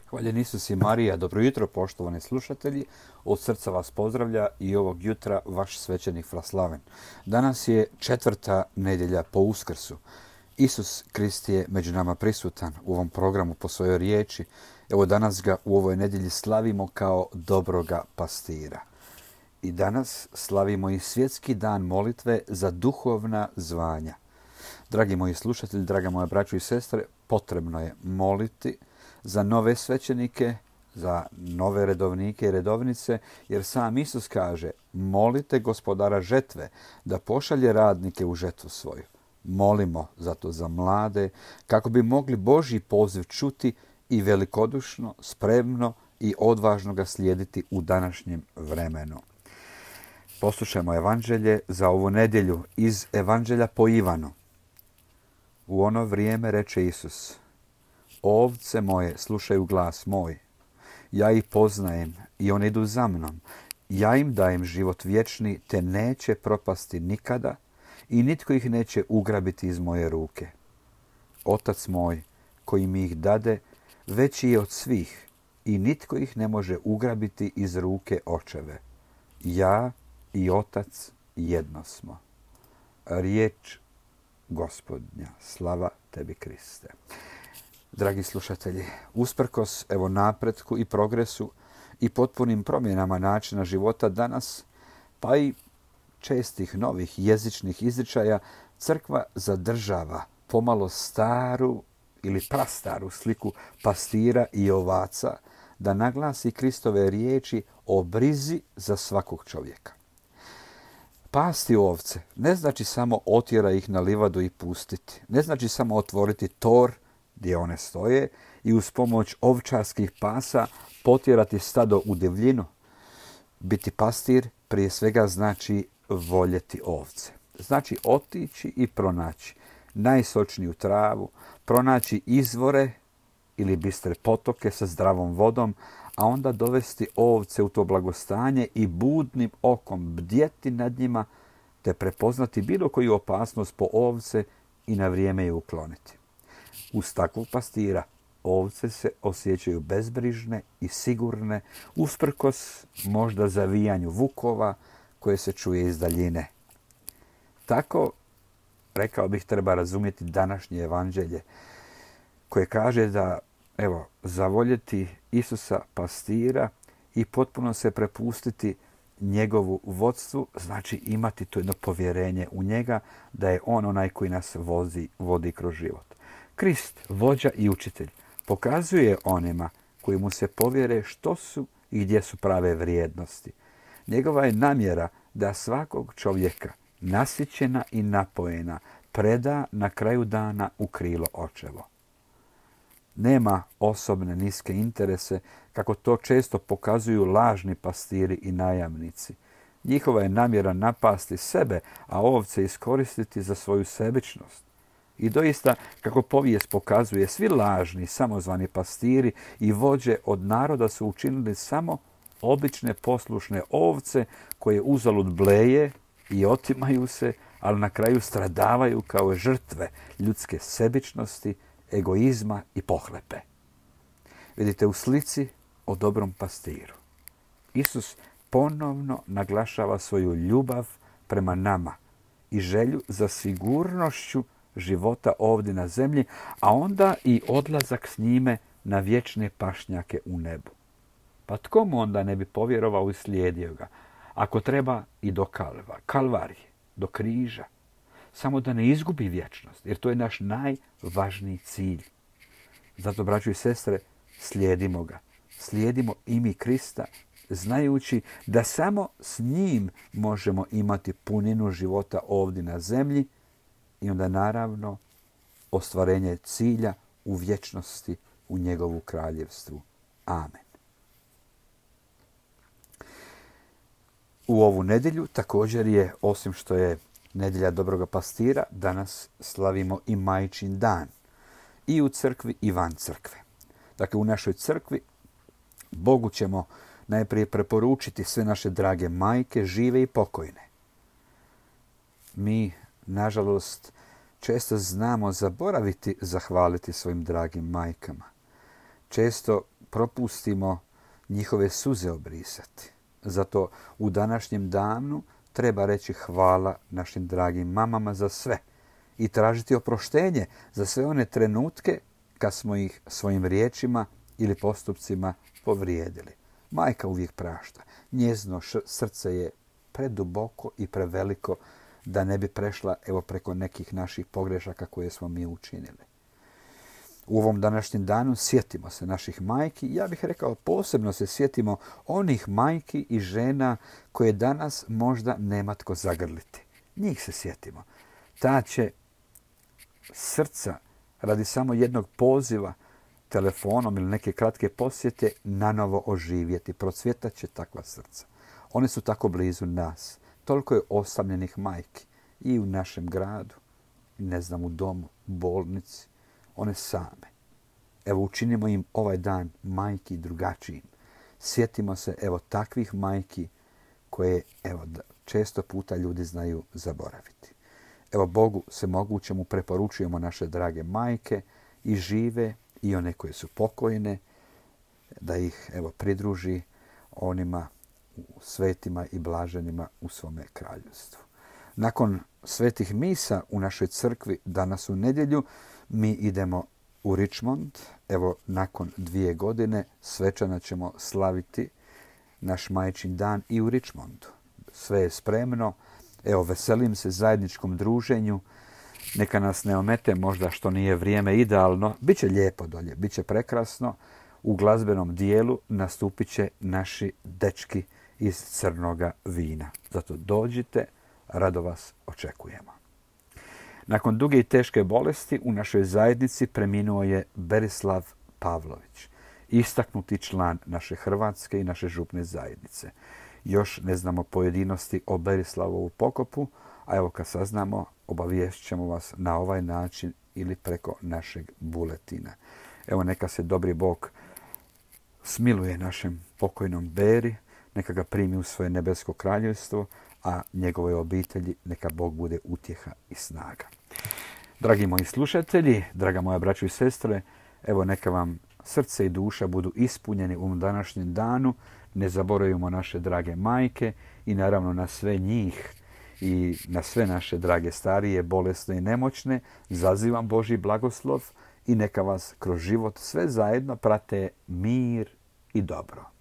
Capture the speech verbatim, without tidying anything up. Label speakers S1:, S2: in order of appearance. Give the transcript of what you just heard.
S1: Hvaljen Isus i Marija, dobro jutro poštovani slušatelji, od srca vas pozdravlja i ovog jutra vaš svećenik Fraslaven. Danas je četvrta nedjelja po Uskrsu. Isus Krist je među nama prisutan u ovom programu po svojoj riječi. Evo danas ga u ovoj nedjelji slavimo kao dobroga pastira. I danas slavimo i svjetski dan molitve za duhovna zvanja. Dragi moji slušatelji, draga moja braćo i sestre, potrebno je moliti za nove svećenike, za nove redovnike i redovnice, jer sam Isus kaže: molite gospodara žetve da pošalje radnike u žetvu svoju. Molimo zato za mlade, kako bi mogli Božji poziv čuti i velikodušno, spremno i odvažno ga slijediti u današnjem vremenu. Poslušajmo evanđelje za ovu nedjelju iz Evanđelja po Ivanu. U ono vrijeme reče Isus: ovce moje slušaju glas moj. Ja ih poznajem i oni idu za mnom. Ja im dajem život vječni, te neće propasti nikada i nitko ih neće ugrabiti iz moje ruke. Otac moj, koji mi ih dade, veći je od svih i nitko ih ne može ugrabiti iz ruke očeve. Ja i Otac jedno smo. Riječ Gospodnja. Slava tebi, Kriste. Dragi slušatelji, usprkos evo napretku i progresu i potpunim promjenama načina života danas, pa i čestih novih jezičnih izričaja, crkva zadržava pomalo staru ili prastaru sliku pastira i ovaca, da naglasi Kristove riječi o brizi za svakog čovjeka. Pasti ovce ne znači samo otjera ih na livadu i pustiti. Ne znači samo otvoriti tor gdje one stoje i uz pomoć ovčarskih pasa potjerati stado u divljinu. Biti pastir prije svega znači voljeti ovce. Znači otići i pronaći najsočniju travu, pronaći izvore ili bistre potoke sa zdravom vodom, a onda dovesti ovce u to blagostanje i budnim okom bdjeti nad njima, te prepoznati bilo koju opasnost po ovce i na vrijeme je ukloniti. Uz takvog pastira ovce se osjećaju bezbrižne i sigurne, usprkos možda zavijanju vukova koje se čuje iz daljine. Tako, rekao bih, treba razumjeti današnje evanđelje, koje kaže da, evo, zavoljeti Isusa pastira i potpuno se prepustiti njegovu vodstvu, znači imati to jedno povjerenje u njega, da je on onaj koji nas vozi, vodi kroz život. Krist, vođa i učitelj, pokazuje onima koji mu se povjere što su i gdje su prave vrijednosti. Njegova je namjera da svakog čovjeka, nasićena i napojena, preda na kraju dana u krilo očevo. Nema osobne niske interese, kako to često pokazuju lažni pastiri i najamnici. Njihova je namjera napasti sebe, a ovce iskoristiti za svoju sebičnost. I doista, kako povijest pokazuje, svi lažni, samozvani pastiri i vođe od naroda su učinili samo obične poslušne ovce koje uzalud bleje i otimaju se, ali na kraju stradavaju kao žrtve ljudske sebičnosti, egoizma i pohlepe. Vidite u slici o dobrom pastiru. Isus ponovno naglašava svoju ljubav prema nama i želju za sigurnošću života ovdje na zemlji, a onda i odlazak s njime na vječne pašnjake u nebu. Pa tko mu onda ne bi povjerovao i slijedio ga, ako treba i do kalva, kalvarije, do križa, samo da ne izgubi vječnost, jer to je naš najvažniji cilj. Zato, braćo i sestre, slijedimo ga. Slijedimo i mi Krista, znajući da samo s njim možemo imati puninu života ovdje na zemlji i onda naravno ostvarenje cilja u vječnosti u njegovu kraljevstvu. Amen. U ovu nedjelju također je, osim što je nedjelja dobroga pastira, danas slavimo i Majčin dan. I u crkvi i van crkve. Dakle, u našoj crkvi Bogu ćemo najprije preporučiti sve naše drage majke, žive i pokojne. Mi, nažalost, često znamo zaboraviti zahvaliti svojim dragim majkama. Često propustimo njihove suze obrisati. Zato u današnjem danu treba reći hvala našim dragim mamama za sve i tražiti oproštenje za sve one trenutke kad smo ih svojim riječima ili postupcima povrijedili. Majka uvijek prašta. Njezino srce je preduboko i preveliko da ne bi prešla evo preko nekih naših pogrešaka koje smo mi učinili. U ovom današnjem danu sjetimo se naših majki. Ja bih rekao posebno se sjetimo onih majki i žena koje danas možda nema tko zagrliti. Njih se sjetimo. Ta će srca radi samo jednog poziva telefonom ili neke kratke posjete nanovo oživjeti. Procvjetat će takva srca. One su tako blizu nas. Toliko je osamljenih majki i u našem gradu, ne znam, u domu, bolnici. One same. Evo, učinimo im ovaj dan majki drugačijim. Sjetimo se, evo, takvih majki koje, evo, često puta ljudi znaju zaboraviti. Evo, Bogu se mogućemu preporučujemo naše drage majke i žive i one koje su pokojne, da ih, evo, pridruži onima svetima i blaženima u svome kraljevstvu. Nakon svetih misa u našoj crkvi danas u nedjelju mi idemo u Richmond. Evo, nakon dvije godine svečano ćemo slaviti naš majčin dan i u Richmondu. Sve je spremno. Evo, veselim se zajedničkom druženju. Neka nas ne omete možda što nije vrijeme idealno. Biće lijepo dolje, biće prekrasno. U glazbenom dijelu nastupit će naši dečki iz crnoga vina. Zato dođite, rado vas očekujemo. Nakon duge i teške bolesti u našoj zajednici preminuo je Berislav Pavlović, istaknuti član naše hrvatske i naše župne zajednice. Još ne znamo pojedinosti o Berislavovu pokopu, a evo kad saznamo, obaviješćemo vas na ovaj način ili preko našeg buletina. Evo, neka se dobri Bog smiluje našem pokojnom Beri, neka ga primi u svoje nebesko kraljevstvo, a njegovoj obitelji neka Bog bude utjeha i snaga. Dragi moji slušatelji, draga moja braćo i sestre, evo neka vam srce i duša budu ispunjeni u ovom današnjem danu. Ne zaboravimo naše drage majke i naravno na sve njih i na sve naše drage starije, bolesne i nemoćne. Zazivam Božji blagoslov i neka vas kroz život sve zajedno prate mir i dobro.